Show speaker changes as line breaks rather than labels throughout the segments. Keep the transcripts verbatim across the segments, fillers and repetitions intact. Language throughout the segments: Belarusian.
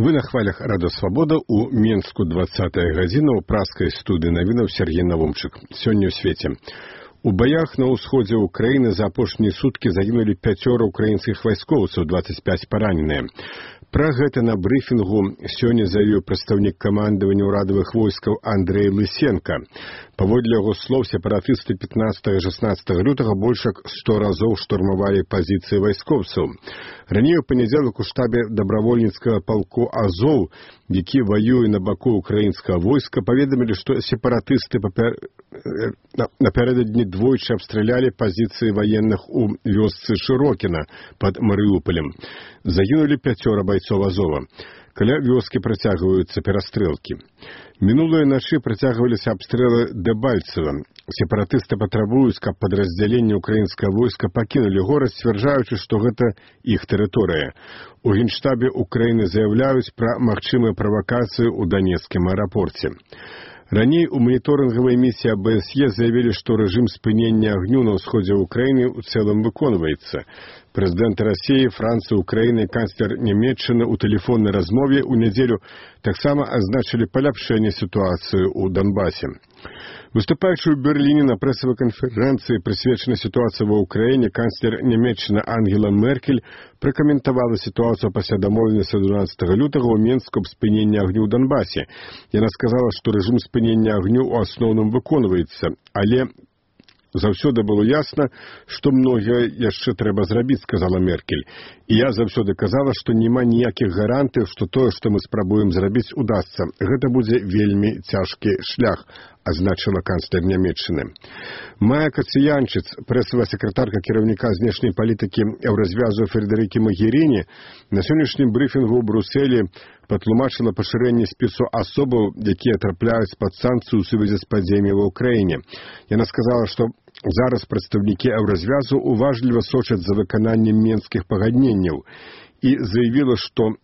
Вы на хвалях Радыё Свабода у Менску двадцатая гадзіна ў праскай студыі навінаў Сергей Навумчык. Сёння ў свеце. У баях на ўсходзе Украіны за апошнія суткі загінулі пяцёра украінскіх вайскоўцаў, дваццаць пяць параненыя. Пра гэта на брыфінгу сёння заявіў прадстаўнік камандавання ўрадавых войскаў Андрэй Лысенко. Паводле яго слоў, сепаратысты пятнадцатага і шаснаццатага лютага больш як сто разоў штурмавалі пазіцыі вайскоўцаў. Раней у панядзелак у штабе дабравольніцкага палку Азоў, які ваюе на баку украінскага войска, паведамілі, што сепаратысты папер... напярэдадні двойчы абстралялі пазіцыі ваенных у вёсцы Шырокіна пад Марыуполем. Загінулі пяцёра байцоў Азова. Каля вёскі працягваюцца перастрэлкі. Мінулыя начы працягваліся абстрэлы Дэбальцева. Сепаратысты патрабуюць, каб падраздзяленне украінскага войска пакінулі горад, сцвярджаючы, што гэта іх тэрыторыя. У Генштабе Украіны заяўляюць пра магчымыя правакацыі ў Данецкім аэрапорце. Раней у маніторынгавай місіі А Б С Е заявілі, што рэжым спынення агню на ўсходзе Украіны ў цэлым выконваецца. Прэзідэнты Расіі, Францыі, Украіны і канцлер Нямецчыны ў тэлефоннай размове ў нядзелю таксама азначылі паляпшэнне сітуацыі ў Донбасе. Выступаючы ў Берліне на прэсавай канферэнцыі, прысвечанай сітуацыі ва Ўкраіне, канцлер Нямецчыны Ангела Меркель пракаментавала сітуацыю пасля дамоўленасці дванаццатага лютага ў Менску аб спыненні агню ў Донбасе. Яна сказала, што рэжым спынення агню ў асноўным выконваецца, але заўсёды было ясна, што многае яшчэ трэба зрабіць, сказала Меркель. І я заўсёды казала, што няма ніякіх гарантый, што тое, што мы спрабуем зрабіць, удасца. Гэта будзе вельмі цяжкі шлях, азначыла канцлер Нямецчыны. Майя Кацыянчыц, прэсавая сакратарка кіраўніка знешняй палітыкі Еўразвязу Фредэрыкі Магеріні, на сённяшнім брыфінгу ў Брусэлі патлумачыла пашырэнне спісу асобаў, якія трапляюць пад санкцыю ў сувязі з падзеямі ва Ўкраіне. Яна сказала, што зараз прадстаўнікі Еўразвязу уважліва сочаць за выкананнем менскіх пагадненняў і заявіла, што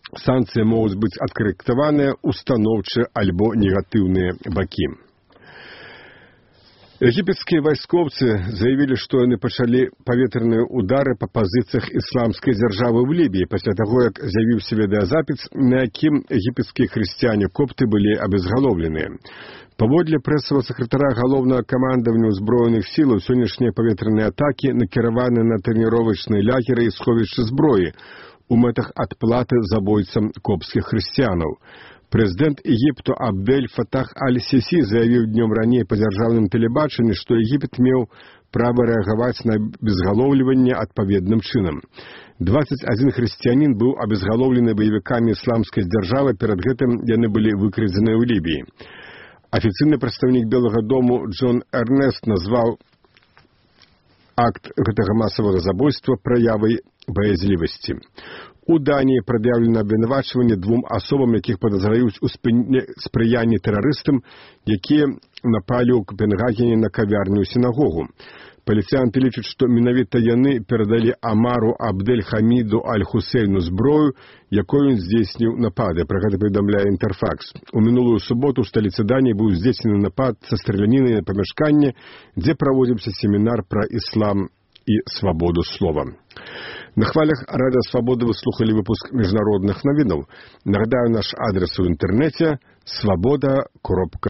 санкцыі могуць быць адкарэктаваныя ў станоўчыя альбо негатыўныя бакі. Егіпецкія вайскоўцы заявілі, што яны пачалі паветраныя ўдары па пазіцыях ісламскай дзяржавы ў Лібіі пасля таго, як з'явіўся відэазапіс, на якім егіпецкія хрысціяне-копты былі абезгалоўленыя. Паводле прэсавага сакратара галоўнага камандавання ўзброеных сілаў, сённяшнія паветраныя атакі накіраваны на трэніровачныя лагеры і сховішчы зброі у мэтах адплаты забойцам копскіх хрысціянаў. Прэзідэнт Егіпту Абдель Фатах Аль-Сісі заявіў днём раней па дзяржаўным тэлебачанні, што Егіпет меў права рэагаваць на абезгалоўліванне адпаведным чынам. дваццаць адзін хрысціянін быў абезгалоўлены баевікамі ісламскай дзяржавы, перад гэтым яны былі выкрадзеныя ў Лібіі. Афіцыйны прадстаўнік Белага дому Джон Эрнест назваў акт гэтага масавага забойства праявай баязлівасці. У Даніі прад'яўлена абвінавачванне двум асобам, якіх падазраюць у спрыянні тэрарыстам, якія напалі ў Капенгагене на кавярню сінагогу. Паліцыянты лічаць, што менавіта яны перадалі Амару Абдель-Хаміду Аль-Хусейну зброю, якой ён здзейсніў напады. Пра гэта паведамляе Інтэрфакс. У мінулую суботу ў сталіцы Даніі быў здзейснены напад са стралянінай на памяшканне, дзе праводзіўся семінар пра іслам і свабоду слова. На хвалях Радыё Свабода вы слухалі выпуск міжнародных навінаў. Нагадаю, наш адрес у інтэрнэце свабода кропка